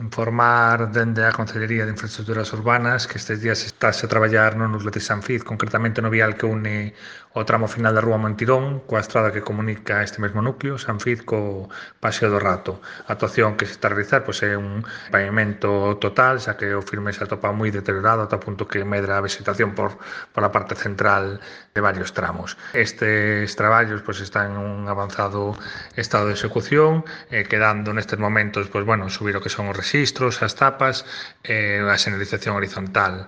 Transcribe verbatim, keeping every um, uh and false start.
Informar dende a Concellería de Infraestructuras Urbanas que estes días estáse a traballar no núcleo de Sanfiz, concretamente no vial que une o tramo final da Rúa Montirón coa estrada que comunica este mesmo núcleo, Sanfiz, co Paseo do Rato. A actuación que se está a realizar pois, é un pavimento total, xa que o firme se atopa moi deteriorado ata o punto que medra a vegetación por, por a parte central de varios tramos. Estes traballos pois, están en un avanzado estado de execución, eh, quedando nestes momentos pois, bueno, subir o que son os rexistros, as tapas, e eh, a señalización horizontal.